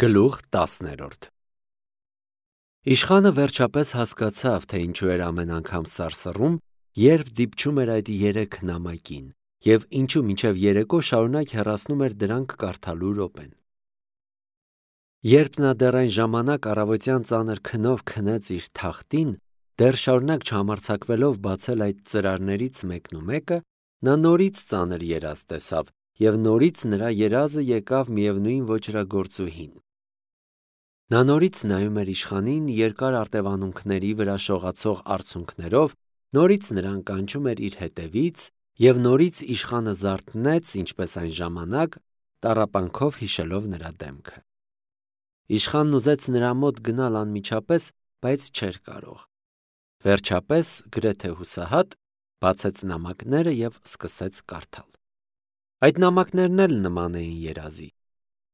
Գլուխ 10-րդ Իշխանը վերջապես հասկացավ, թե ինչու էր ամեն անգամ սարսռում, երբ դիպչում էր այդ 3 նամակին, և ինչու մինչև երեկո շարունակ հեռացնում էր դրանք կարդալու րոպեն։ Երբ նա դեռ այն ժամանակ առավոտյան ծանր քնով քնեց իր թախտին, դեռ շարունակ չհամարձակվելով բացել այդ ծրարներից մեկը, նա նորից ծանր երազ տեսավ, և նորից նրա երազը եկավ միևնույն ոճրագործուհին։ Նա նորից նայում էր իշխանին երկար արտևանունքների վրա շողացող արցունքներով, նորից նրան կանչում էր իր հետևից, և նորից իշխանը զարթնեց, ինչպես այն ժամանակ, տառապանքով հիշելով նրա դեմքը։ Իշխանն ուզեց նրա մոտ գնալ անմիջապես, բայց չէր կարող։ Վերջապես, գրեթե հուսահատ, բացեց նամակները և սկսեց կարդալ։ Այդ նամակներն էլ նման էին երազի։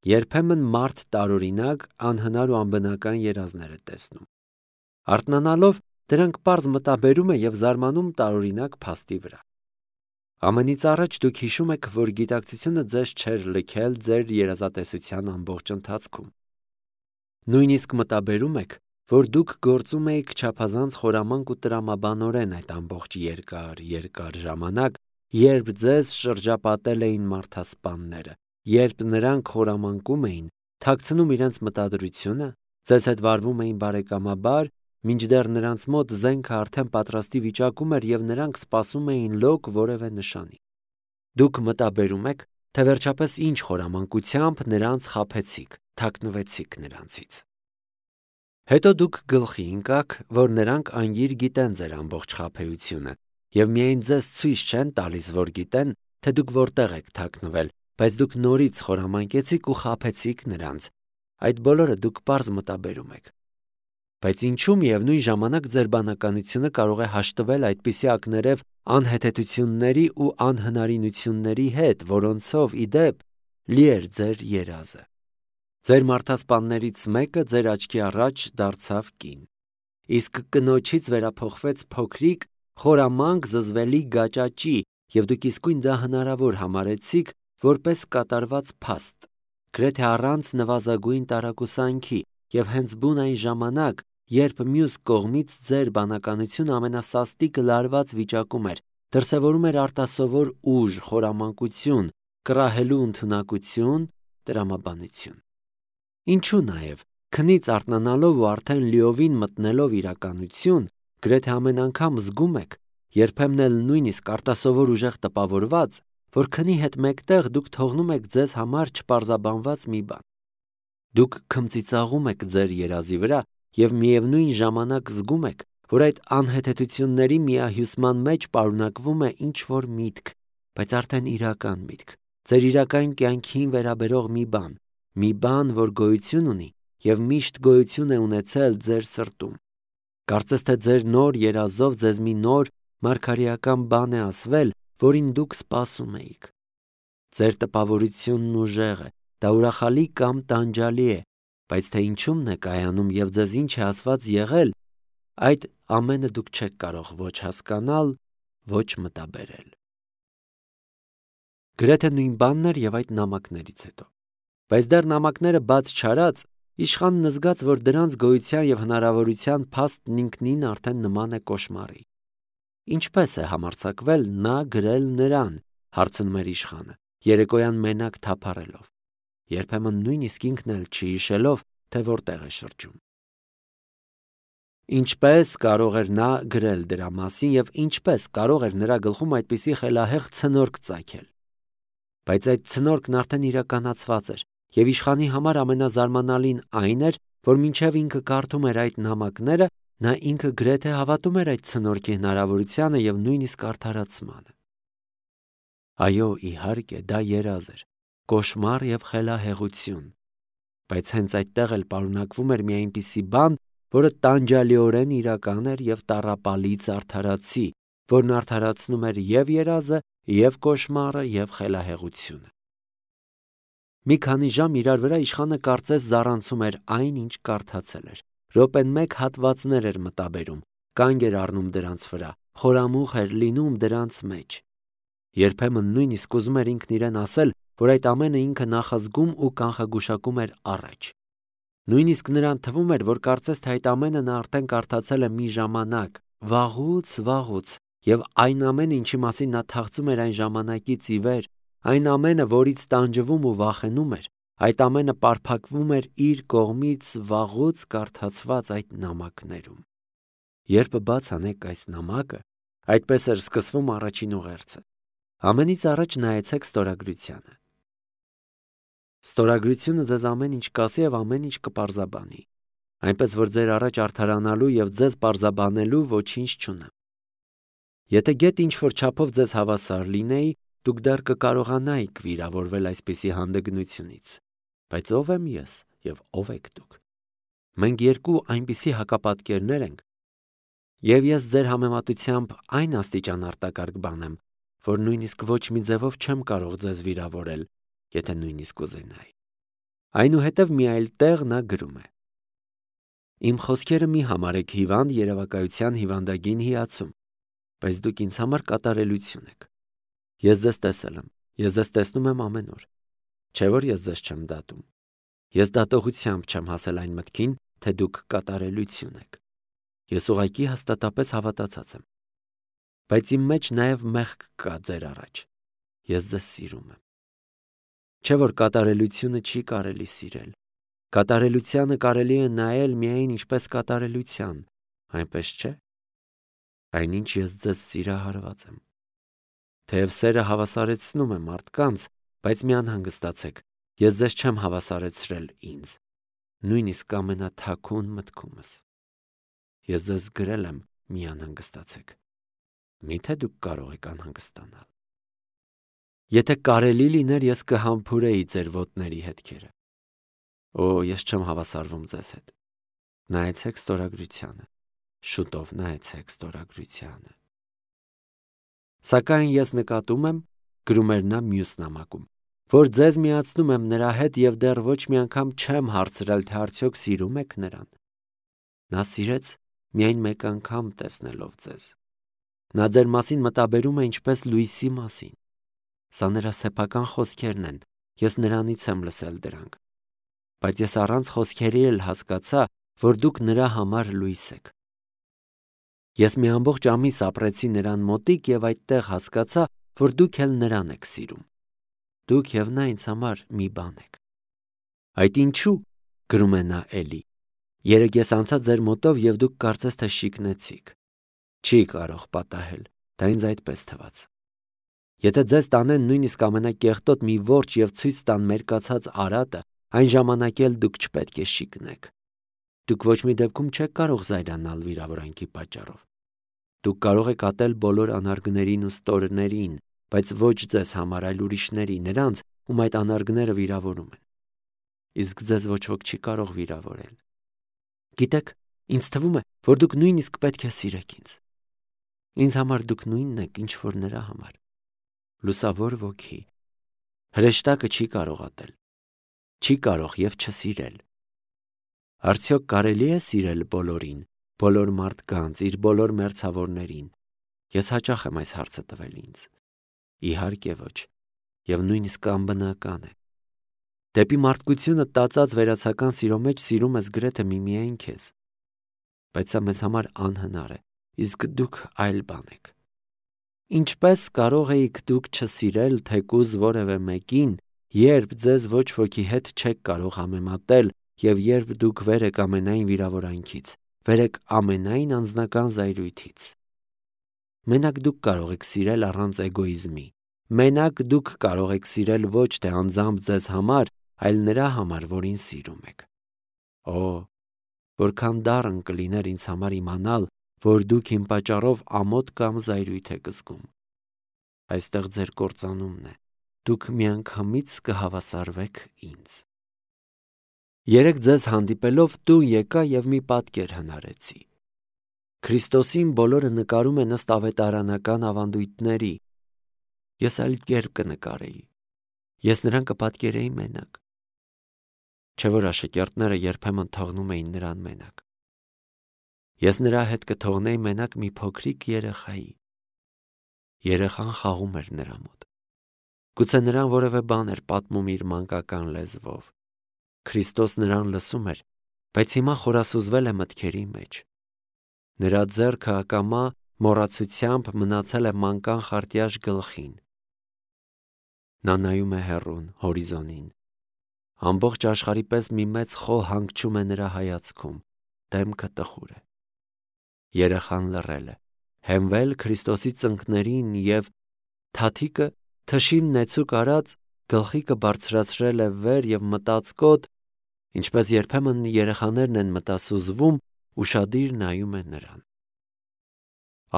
Երբեմն մարդ տարօրինակ, անհնար ու անբնական երազներ է տեսնում։ Արթնանալով, դրանք պարզ մտաբերում է և զարմանում տարօրինակ փաստի վրա։ Ամենից առաջ դուք հիշում եք, որ գիտակցությունը ձեզ չէր լքել ձեր երազատեսության ամբողջ ընթացքում։ Նույնիսկ մտաբերում եք, որ դուք գործում էիք չափազանց խորամանկ ու տրամաբանորեն այդ ամբողջ երկար ժամանակ, երբ ձեզ շրջապատել էին մարդասպանները, երբ նրանք խորամանկում էին, թաքցնում իրենց մտադրությունը, ձեզ հետ վարվում էին բարեկամաբար, մինչդեռ նրանց մոտ զենքը արդեն պատրաստի վիճակում էր և նրանք սպասում էին լոկ որևէ նշանի։ Դուք մտաբերում եք, թե վերջապես ինչ խորամանկությամբ նրանց խաբեցիք, թաքնվեցիք նրանցից։ Հետո դուք գլխի ընկաք, որ նրանք անգիր գիտեն ձեր ամբողջ խաբեությունը և միայն ձեզ ցույց չեն տալիս, որ գիտեն, թե դուք որտեղ եք թաքնվել, բայց դուք նորից խորամանկեցիք ու խաբեցիք նրանց։ Այդ բոլորը դուք պարզ մտաբերում եք։ Բայց ինչու միևնույն ժամանակ ձեր բանականությունը կարող է հաշտվել այդպիսի ակներև անհեթեթությունների ու անհնարինությունների հետ, որոնցով, ի դեպ, լի էր ձեր երազը։ Ձեր մարդասպաններից մեկը ձեր աչքի առաջ դարձավ կին, իսկ կնոջից վերափոխվեց փոքրիկ, խորամանկ, զզվելի գաճաճի, և դուք իսկույն դա հնարավոր համարեցիք որպես կատարված փաստ, գրեթե առանց նվազագույն տարակուսանքի, և հենց բուն այն ժամանակ, երբ մյուս կողմից ձեր բանականությունը ամենասաստիկ լարված վիճակում էր, դրսևորում էր արտասովոր ուժ, խորամանկություն, կռահելու ընդունակություն, տրամաբանություն։ Ինչու նաև, քնից արթնանալով ու արդեն լիովին մտնելով իրականություն, գրեթե ամեն անգամ զգում եք, երբեմն էլ նույնիսկ արտասովոր ուժեղ տպավորված, որ քնի հետ մեկտեղ դուք թողնում եք ձեզ համար չպարզաբանված մի բան։ Դուք քմծիծաղում եք ձեր երազի վրա և միևնույն ժամանակ զգում եք, որ այդ անհեթեթությունների միահյուսման մեջ պարունակվում է ինչ-որ միտք, բայց արդեն իրական միտք, ձեր իրական կյանքին վերաբերող մի բան, որ գոյություն ունի և միշտ գոյություն է ունեցել ձեր սրտում։ Կարծես թե ձեր նոր երազով ձեզ մի նոր մարգարեական բան է ասվել, որին դուք սպասում էիք։ Ձեր տպավորությունն ուժեղ է, դա ուրախալի կամ տանջալի է, բայց թե ինչումն է կայանում և ձեզ ինչ է ասված եղել, այդ ամենը դուք չեք կարող ոչ հասկանալ, ոչ մտաբերել։ Գրեթե նույն բանն էր և այդ նամակներից հետո։ Բայց դեռ նամակները բաց չարած, իշխանն զգաց, որ դրանց գոյության և հնարավորության փաստն ինքնին արդեն նման է կոշմարի։ Ինչպե՞ս է համարձակվել նա գրել նրան, հարցնում էր իշխանը, երեկոյան մենակ թափառելով, երբեմն նույնիսկ ինքն էլ չհիշելով, թե որտեղ է շրջում։ Ինչպե՞ս կարող էր նա գրել դրա մասին և ինչպե՞ս կարող էր նրա գլխում այդպիսի խելահեղ ցնորք ծագել։ Բայց այդ ցնորքն արդեն իրականացված էր, և իշխանի համար ամենազարմանալին այն էր, որ մինչև ինքը կարդում էր այդ նամակները, նա ինքը գրեթե հավատում էր այդ ցնորքի հնարավորությանը և նույնիսկ արդարացմանը։ Այո, իհարկե, դա երազ էր, կոշմար և խելահեղություն, բայց հենց այդտեղ էլ պարունակվում էր մի այնպիսի բան, որը տանջալիորեն իրական էր և տառապալից արդարացի, որն արդարացնում էր և երազը, և կոշմարը, և խելահեղությունը։ Մի քանի ժամ իրար վրա իշխանը կարծես զառանցում էր այն, ինչ կարդացել էր, րոպեն մեկ հատվածներ էր մտաբերում, կանգ էր առնում դրանց վրա, խորամուխ էր լինում դրանց մեջ։ Երբեմն նույնիսկ ուզում էր ինքն իրեն ասել, որ այդ ամենը ինքը նախազգում ու կանխագուշակում էր առաջ, Նույնիսկ նրան թվում էր, որ կարծես թե այդ ամենը նա արդեն կարդացել է մի ժամանակ, վաղուց, եւ այն ամենը, ինչի մասին նա թախծում էր այն ժամանակից ի վեր, այն ամենը, որից տանջվում ու վախենում էր, այդ ամենը պարփակվում էր իր կողմից վաղուց կարդացված այդ նամակներում։ Երբ բաց անեք այս նամակը, այդպես էր սկսվում առաջին ուղերձը։ Ամենից առաջ նայեցեք ստորագրությանը։ Ստորագրությունը ձեզ ամեն ինչ կասի եւ ամեն ինչ կպարզաբանի, այնպես որ ձեր առաջ արդարանալու եւ ձեզ պարզաբանելու ոչինչ չունեմ։ Եթե գետ ինչ-որ չափով ձեզ հավասար լինեի, դուք դեռ կկարողանայիք վիրավորվել այսպիսի հանդգնությունից։ Բայց ով եմ ես եւ ով եք դուք։ Մենք երկու այնպիսի հակապատկերներ ենք, եւ ես ձեր համեմատությամբ այն աստիճան արտակարգ բան եմ, որ նույնիսկ ոչ մի ձևով չեմ կարող ձեզ վիրավորել, եթե նույնիսկ ուզենայի։ Այնուհետև մի այլ տեղ նա գրում է. Իմ խոսքերը մի համարեք հիվանդ երևակայության հիվանդագին հիացում, բայց դուք ինձ համար կատարելություն եք։ Ես ձեզ տեսել եմ, ես ձեզ տեսնում եմ ամեն օր։ Չէ՞ որ ես ձեզ չեմ դատում։ Ես դատողությամբ չեմ հասել այն մտքին, թե դուք կատարելություն եք։ Ես ուղղակի հաստատապես հավատացած եմ։ Բայց իմ մեջ նաև մեղք կա ձեր առաջ։ Ես ձեզ սիրում եմ։ Չէ՞ որ կատարելությունը չի կարելի սիրել։ Կատարելությանը կարելի է նայել միայն ինչպես կատարելության, այնպես չէ։ Այնինչ ես ձեզ սիրահարված եմ։ Թեև սերը հավասարեցնում է մարդկանց, բայց մի անհանգստացեք, ես ձեզ չեմ հավասարեցրել ինձ, նույնիսկ ամենաթաքուն մտքումս։ Ես ձեզ գրել եմ, մի անհանգստացեք։ Միթե դուք կարող եք անհանգստանալ։ Եթե կարելի լիներ, ես կհամբուրեի ձեր ոտների հետքերը։ Օ, ես չեմ հավասարվում ձեզ հետ։ Նայեցեք ստորագրությանը։ Շուտով նայեցեք ստորագրությանը։ Սակայն ես նկատում եմ, գրում էր նա մյուս նամակում, որ ձեզ միացնում եմ նրա հետ եւ դեռ ոչ մի անգամ չեմ հարցրել, թե արդյոք սիրում եք նրան։ Նա սիրեց միայն մեկ անգամ տեսնելով ձեզ։ Նա ձեր մասին մտաբերում է ինչպես լույսի մասին։ Սա նրա սեփական խոսքերն են, ես նրանից եմ լսել դրանք։ Բայց ես առանց խոսքերի էլ հասկացա, որ դուք նրա համար լույս եք։ Ես մի ամբողջ ամիս ապրեցի նրան մոտիկ եւ այդտեղ հասկացա, որ դուք էլ նրան եք սիրում։ Դուք եւ նա ինձ համար մի բան եք։ Այդ ինչու, գրում է նա էլի, երեկ ես անցա ձեր մոտով եւ դուք կարծես թե շիկնեցիք։ Չի կարող պատահել, դա ինձ այդպես թվաց։ Եթե ձեզ տանեն նույնիսկ ամենակեղտոտ մի որջ եւ ցույց տան մերկացած արատը, այն ժամանակ էլ դուք չպետք է շիկնեք։ Դուք ոչ մի դեպքում չեք կարող զայրանալ վիրավորանքի պատճառով։ Դուք կարող եք ատել բոլոր անարգներին ու ստորներին, բայց ոչ ձեզ համար, այլ ուրիշների, նրանց, ում այդ անարգները վիրավորում են։ Իսկ ձեզ ոչ ոք չի կարող վիրավորել։ Գիտեք, ինձ թվում է, որ դուք նույնիսկ պետք է սիրեք ինձ։ Ինձ համար դուք նույնն եք, ինչ որ նրա համար։ Լուսավոր ոգի։ Հրեշտակը չի կարող ատել։ Չի կարող եւ չսիրել։ Արդյոք կարելի է սիրել բոլորին, բոլոր մարդկանց, իր բոլոր մերձավորներին։ Ես հաճախ եմ այս հարցը տվել ինձ։ Իհարկե ոչ, եւ նույնիսկ անբնական է։ Դեպի մարդկությունը տածած վերացական սիրո մեջ սիրում ես գրեթե միմիայն քեզ։ Բայց սա մեզ համար անհնար է, իսկ դուք այլ բան եք։ Ինչպես կարող էիք դուք չսիրել թեկուզ որևէ մեկին, երբ ձեզ ոչ ոքի հետ չեք կարող համեմատել եւ երբ դուք վեր եք ամենայն վիրավորանքից, վեր եք ամենայն անձնական զայրույթից։ Մենակ դուք կարող եք սիրել առանց էգոիզմի։ Մենակ դուք կարող եք սիրել ոչ թե անձամբ ձեզ համար, այլ նրա համար, որին սիրում եք։ Օ, որքան դառն կլիներ ինձ համար իմանալ, որ դուք իմ պատճառով ամոթ կամ զայրույթ եք զգում։ Այստեղ ձեր կործանումն է։ Դուք միանգամից կհավասարվեք ինձ։ Երեք ձեզ հանդիպելով տուն եկա եւ մի պատկեր հնարեցի։ Քրիստոսին բոլորը նկարում են ըստ ավետարանական ավանդույթների։ Ես այլ կերպ կնկարեի։ Ես նրան կպատկերեի մենակ։ Չէ՞ որ աշակերտները երբեմն թողնում էին նրան մենակ։ Ես նրա հետ կթողնեի մենակ մի փոքրիկ երեխայի։ Երեխան խաղում էր նրա մոտ։ Գուցե նրան որևէ բան էր պատմում իր մանկական լեզվով։ Քրիստոս նրան լսում էր բայց հիմա խորասուզվել է մտքերի մեջ։ Նրա ձեռքը ակամա մոռացությամբ մնացել է մանկան խարտյաշ գլխին։ Նա նայում է հեռուն, հորիզոնին։ Ամբողջ աշխարհի պես մի մեծ խոհ հանգչում է նրա հայացքում, դեմքը տխուր է։ Երեխան լռել է, հենվել Քրիստոսի ծնկներին և թաթիկը թշին նեցուկ արած գլխիկը բարձրացրել է վեր և մտածկոտ, ինչպես երբեմն երեխաներն են մտասուզվում, ուշադիր նայում է նրան։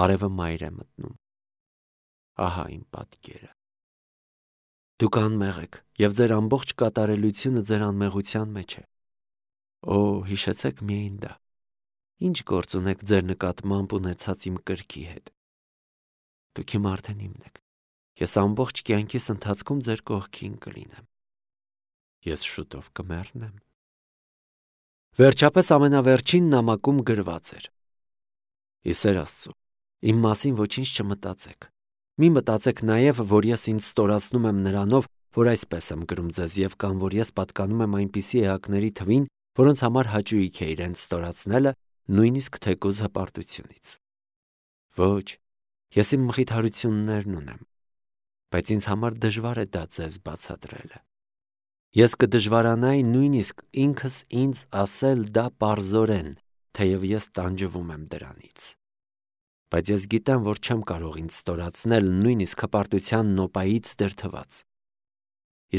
Արևը մայր է մտնում։ Ահա իմ պատկերը։ Դուք անմեղ եք, և ձեր ամբողջ կատարելությունը ձեր անմեղության մեջ է։ Օ, հիշեցեք միայն դա։ Ինչ գործ ունեք ձեր նկատմամբ ունեցած իմ կրքի հետ։ Դուք իմ արդեն իմն եք։ Ես ամբողջ կյանքիս ընթացքում ձեր կողքին կլինեմ։ Ես շուտով կմեռնեմ։ Վերջապես ամենավերջին նամակում գրված էր. Ի սեր Աստծո, իմ մասին ոչինչ չմտածեք։ Մի մտածեք նաև, որ ես ինձ ստորացնում եմ նրանով, որ այսպես եմ գրում ձեզ, և կամ որ ես պատկանում եմ այնպիսի էակների թվին, որոնց համար հաճույք է իրենց ստորացնելը, նույնիսկ թեկուզ հպարտությունից։ Ոչ, ես իմ մխիթարություններն ունեմ, բայց ինձ համար դժվար է դա ձեզ բացատրելը։ Ես կդժվարանայի նույնիսկ ինքս ինձ ասել դա պարզորեն, թեև ես տանջվում եմ դրանից։ Բայց ես գիտեմ, որ չեմ կարող ինձ ստորացնել նույնիսկ հպարտության նոպայից դրդված։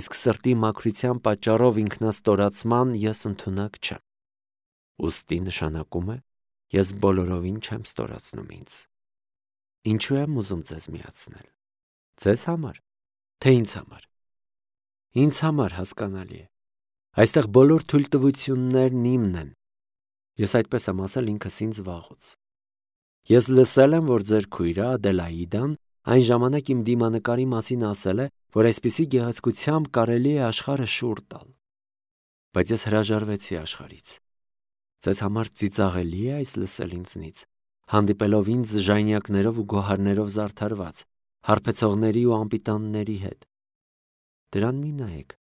Իսկ սրտի մաքրության պատճառով ինքնաստորացման ես ընդունակ չեմ։ Ուստի նշանակում է, ես բոլորովին չեմ ստորացնում ինձ։ Ինչու եմ ուզում ձեզ միացնել։ Ձեզ համար, թե ինձ համար։ Ինձ համար հասկանալի է։ Այստեղ բոլոր թույլտվություններն իմն են։ Ես այդպես եմ ասել ինքս ինձ վաղուց։ Ես լսել եմ, որ ձեր քույրը Ադելաիդան այն ժամանակ իմ դիմանկարի մասին ասել է, որ այսպիսի գեղեցկությամբ կարելի է աշխարհը շուռ տալ։ Բայց ես հրաժարվեցի աշխարհից։ Ձեզ համար ծիծաղելի է այս լսել ինձնից, հանդիպելով ինձ ժայնյակներով ու գոհարներով զարդարված, հարբեցողների ու անպիտանների հետ։ Դրան մի նայեք։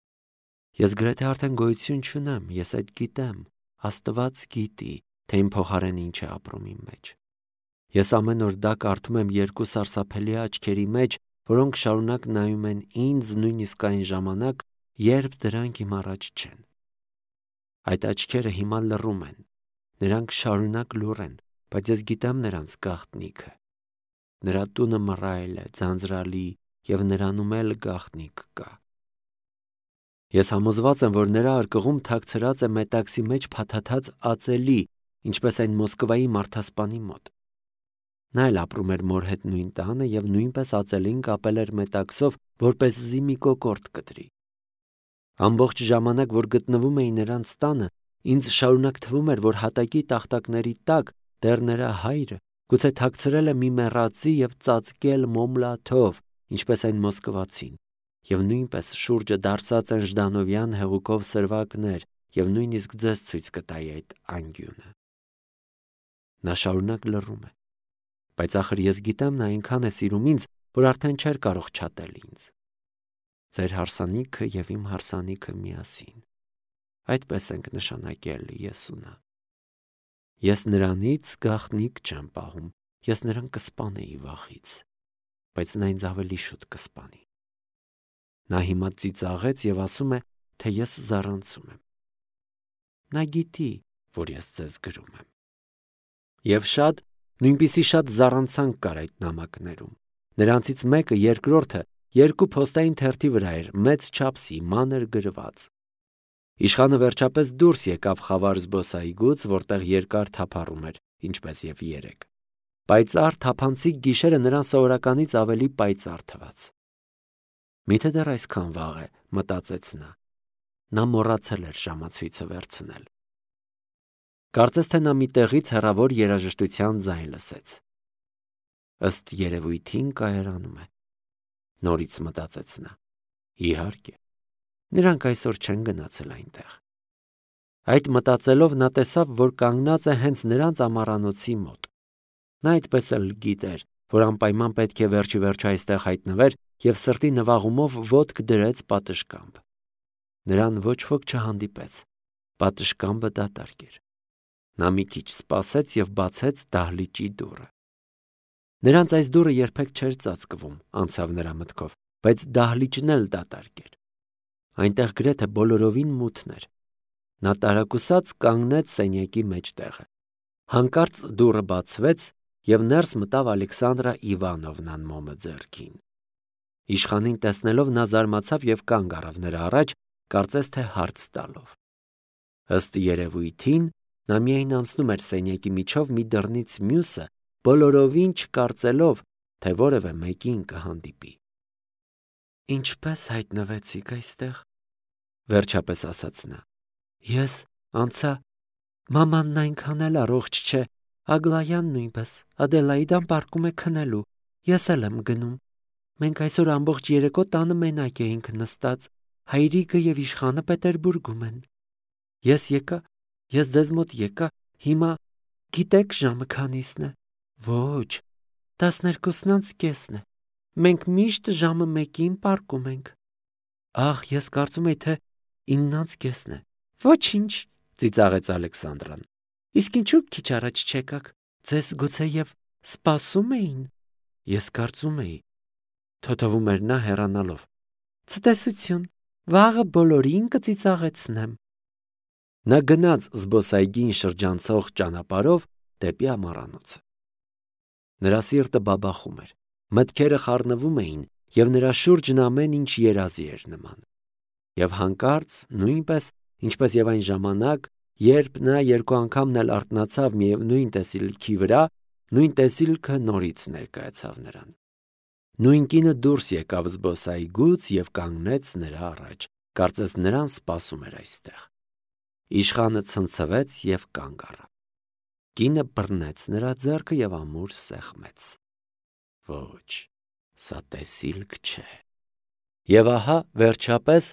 Ես գրեթե արդեն գոյություն չունեմ, ես այդ գիտեմ, Աստված գիտի, թե իմ փոխարեն ինչ է ապրում իմ մեջ։ Ես ամեն օր դա կարդում եմ երկու սարսափելի աչքերի մեջ, որոնք շարունակ նայում են ինձ նույնիսկ այն ժամանակ, երբ դրանք իմ առաջ չեն։ Այդ աչքերը հիմա լռում են, նրանք շարունակ լուռ են, բայց ես գիտեմ նրանց գաղտնիքը։ Նրա տունը մռայլ է, ձանձրալի, և նրանում էլ գաղտնիք կա։ Ես համոզված եմ, որ նրա արկղում թաքցրած է մետաքսի մեջ փաթաթած ածելի, ինչպես այն Մոսկվայի մարդասպանի մոտ։ Նա էլ ապրում էր մոր հետ նույն տանը և նույնպես ածելին կապել էր մետաքսով, որպեսզի մի կոկորդ կտրի։ Ամբողջ ժամանակ, որ գտնվում էի նրանց տանը, ինձ շարունակ թվում էր, որ հատակի տախտակների տակ դեռ նրա հայրը գուցե թաքցրել է մի մեռածի և ծածկել մոմլաթով, ինչպես այն մոսկվացին, և նույնպես շուրջը դարսած են ժդանովյան հեղուկով սրվակներ, և նույնիսկ ձեզ ցույց կտայի այդ անկյունը։ Նա շարունակ լռում է, բայց ախր ես գիտեմ նա այնքան է սիրում ինձ, որ արդեն չէր կարող չատել ինձ։ Ձեր հարսանիքը և իմ հարսանիքը միասին։ Այդպես ենք նշանակել ես ու նա։ Ես նրանից գաղտնիք չեմ պահում, ես նրան կսպանեի վախից, բայց նա ինձ ավելի շուտ կսպանի։ Նա հիմա ծիծաղեց և ասում է, թե ես զառանցում եմ։ Նա գիտի, որ ես ձեզ գրում եմ։ Եվ նույնպիսի շատ զառանցանք կար այդ նամակներում։ Նրանցից մեկը, երկրորդը, երկու փոստային թերթի վրա էր, մեծ չափսի, մանր գրված։ Իշխանը վերջապես դուրս եկավ խավար զբոսայգուց, որտեղ երկար թափառում էր, ինչպես և երեկ։ Պայծառ թափանցիկ գիշերը նրան սովորականից ավելի պայծառ թվաց։ Միթե դեռ այսքան վաղ է, մտածեց նա։ Նա մոռացել էր ժամացույցը վերցնել։ Կարծես թե նա մի տեղից հեռավոր երաժշտության ձայն լսեց։ Ըստ երևույթին կայարանում է։ Նորից մտածեց նա։ Իհարկե, նրանք այսօր չեն գնացել այնտեղ։ Այդ մտածելով նա տեսավ, որ կանգնած է հենց նրանց ամառանոցի մոտ։ Նա այդպես էլ գիտեր, որ անպայման պետք է վերջիվերջո այստեղ հայտնվեր և սրտի նվաղումով ոտք դրեց պատշգամբ։ Նրան ոչ ոք չհանդիպեց, պատշգամբը դատարկ էր։ Նա մի քիչ սպասեց և բացեց դահլիճի դուռը։ Նրանց այս դուռը երբեք չէր ծածկվում, անցավ նրա մտքով, բայց դահլիճն էլ դատարկ էր։ Այնտեղ գրեթե բոլորովին մութն էր։ Նա տարակուսած կանգնեց սենյակի մեջտեղը։ Հանկարծ դուռը բացվեց, և ներս մտավ Ալեքսանդրա Իվանովնան մոմը ձեռքին։ Իշխանին տեսնելով նա զարմացավ և կանգ առավ նրա առաջ, կարծես թե հարց տալով։ Ըստ երևույթին, նա միայն անցնում էր սենյակի միջով մի դռնից մյուսը, բոլորովին չկարծելով, թե որևէ մեկին կհանդիպի։ Ինչպե՞ս հայտնվեցիք այստեղ, վերջապես ասաց նա։ Ես անցա, մամանն այնքան էլ առողջ չէ, Ագլայան նույնպես, Ադելաիդան պառկում է քնելու, ես էլ եմ գնում։ Մենք այսօր ամբողջ երեկո տանը մենակ էինք նստած, հայրիկը և իշխանը Պետերբուրգում են։ Ես ձեզ մոտ եկա, հիմա գիտեք ժամը քանիսն է։ Ոչ, 12:30 է։ Մենք միշտ ժամը 1-ին պառկում ենք։ Ահ, ես կարծում էի, թե 9:30 է։ Ոչինչ, ծիծաղեց Ալեքսանդրան։ Իսկ ինչու քիչ առաջ չեկաք։ Ձեզ գուցեև սպասում էին։ Ես կարծում էի, թոթվում էր նա հեռանալով։ Ցտեսություն, վաղը բոլորին կծիծաղեցնեմ։ Նա գնաց զբոսայգին շրջանցող ճանապարհով դեպի ամառանոցը։ Նրա սիրտը բաբախում էր, մտքերը խառնվում էին, և նրա շուրջն ամեն ինչ երազի էր նման։ Եվ հանկարծ, նույնպես, ինչպես և այն ժամանակ, երբ նա երկու անգամն էլ արթնացավ միևնույն տեսիլքի վրա, նույն տեսիլքը նորից ներկայացավ նրան։ Նույն կինը դուրս եկավ զբոսայգուց և կանգնեց նրա առաջ, կարծես նրան սպասում էր այստեղ։ Իշխանը ցնցվեց և կանգ առավ։ Կինը բռնեց նրա ձեռքը և ամուր սեղմեց։ Ոչ, սա տեսիլք չէ։ Եվ ահա, վերջապես,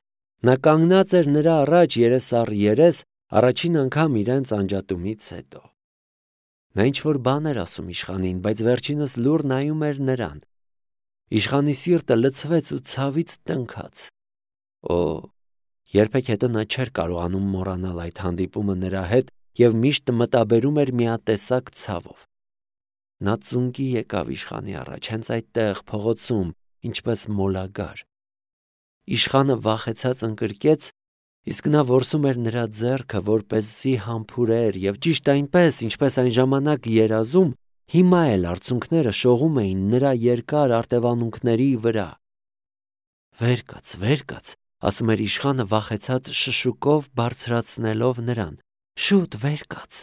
նա կանգնած էր նրա առաջ երես առ երես, առաջին անգամ իրենց անջատումից հետո։ Նա ինչ-որ բան էր ասում իշխանին, բայց վերջինս լուռ նայում էր նրան։ Իշխանի սիրտը լցվեց ու ցավից տնքաց։ Օ, երբեք հետո նա չէր կարողանում մոռանալ այդ հանդիպումը նրա հետ և միշտ մտաբերում էր միատեսակ ցավով։ Նա ծունկի եկավ իշխանի առաջ, հենց այդտեղ, փողոցում, ինչպես մոլագար։ Իշխանը վախեցած ընկրկեց, իսկ նա որսում էր նրա ձեռքը, որպեսզի համբուրեր, և ճիշտ այնպես, ինչպես այն ժամանակ երազում, հիմա էլ արցունքները շողում էին նրա երկար արտևանունքների վրա։ Վեր կաց, ասում էր իշխանը վախեցած շշուկով բարձրացնելով նրան։ Շուտ վեր կաց։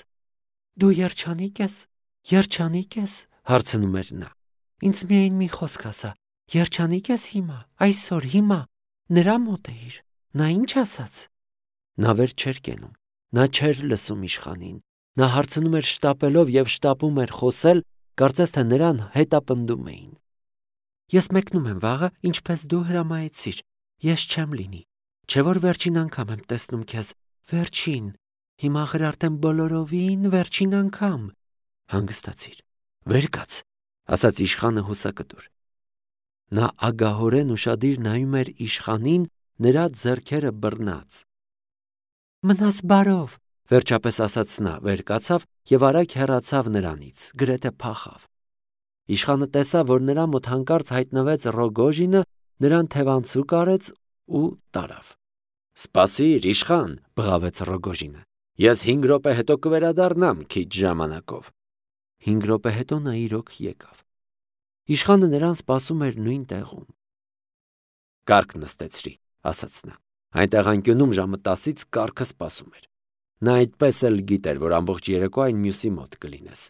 Դու երջանիկ ես, հարցնում էր նա։ Ինձ միայն մի խոսք ասա, երջանիկ ես հիմա, այսօր, հիմա, նրա մոտ էիր, նա ինչ ասաց։ Նա վեր չէր կենում, նա չէր լսում իշխանին, նա հարցնում էր շտապելով և շտապում էր խոսել, կարծես թե նրան հետապնդում էին։ Ես մեկնում եմ վաղը, ինչպես դու հրամայեցիր, ես չեմ լինի, չէ որ վերջին անգամ եմ տեսնում քեզ, վերջին, հիմա արդեն բոլորովին վերջին անգամ։ Հանգստացիր, վեր կաց, ասաց իշխանը հուսակտուր։ Նա ագահորեն ուշադիր նայում էր իշխանին, նրա ձեռքերը բռնած։ Մնաս բարով, վերջապես ասաց նա, վեր կացավ և արագ հեռացավ նրանից, գրեթե փախավ։ Իշխանը տեսավ, որ նրա մոտ հանկարծ հայտնվեց Ռոգոժինը, նրան թևանցուկ արեց ու տարավ։ Սպասիր, իշխան, բղավեց Ռոգոժինը, ես 5 րոպե հետո կվերադառնամ քիչ ժամանակով։ 5 րոպե հետո նա իրոք եկավ։ Իշխանը նրան սպասում էր նույն տեղում։ Կառք նստեցրի, ասաց նա։ Այնտեղ անկյունում ժամը 10-ից կառքը սպասում էր։ Նա այդպես էլ գիտեր, որ ամբողջ երեկո այն մյուսի մոտ կլինես։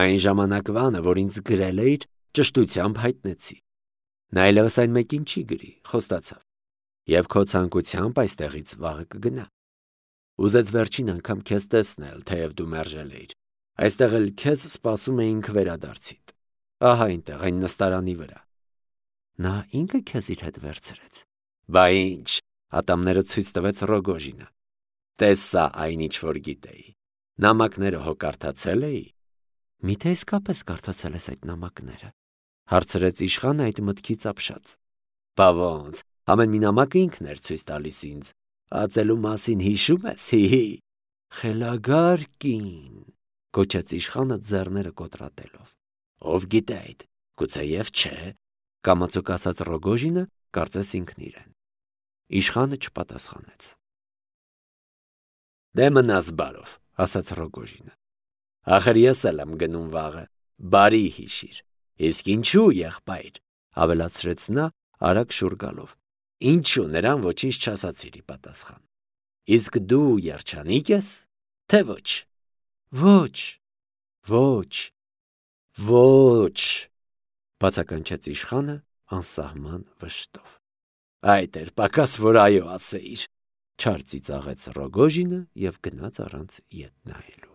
Այն ժամանակվանը, որ ինձ գրել էիր, ճշտությամբ հայտնեցի։ Նա այլևս այն մեկին չի գրի, խոստացավ։ Եվ քո ցանկությամբ այստեղից վաղը կգնա։ Ուզեց վերջին անգամ քեզ տեսնել, թեև դու մերժել էիր։ Այստեղ էլ քեզ սպասում էինք վերադարձիդ։ Ահա այնտեղ, այն նստարանի վրա։ Նա ինքը քեզ իր հետ վերցրեց։ Բա ինչ, ատամները ցույց տվեց Ռոգոժինը։ Տեսա այն, ինչ որ գիտեի։ Նամակները հո կարդացել էի։ Միթե իսկապես կարդացել ես այդ նամակները, հարցրեց իշխանը այդ մտքից ապշած։ Բա ոնց, ամեն մի նամակը ինքն էր ցույց տալիս ինձ։ Ածելու մասին հիշում ես, հի։ Խելագար կին, գոչեց իշխանը ձեռները կոտրատելով։ Ով գիտե այդ, գուցեև չէ, կամացոք ասաց Ռոգոժինը, կարծես ինքն իրեն։ Իշխանը չպատասխանեց։ Դե մնաս բարով, ասաց Ռոգոժինը։ Ախր ես էլ եմ գնում վաղը, բարի հիշիր։ Իսկ ինչու, եղբայր, ավելացրեց նա արագ շուռ գալով։ Ինչու նրան ոչինչ չասացիր ի պատասխան։ Իսկ դու երջանիկ ես, թե ոչ։ Ոչ, բացականչեց իշխանը անսահման վշտով։ Այդ էր պակաս, որ այո ասեիր, չար ծիծաղեց Ռոգոժինը և գնաց առանց ետ նայելու։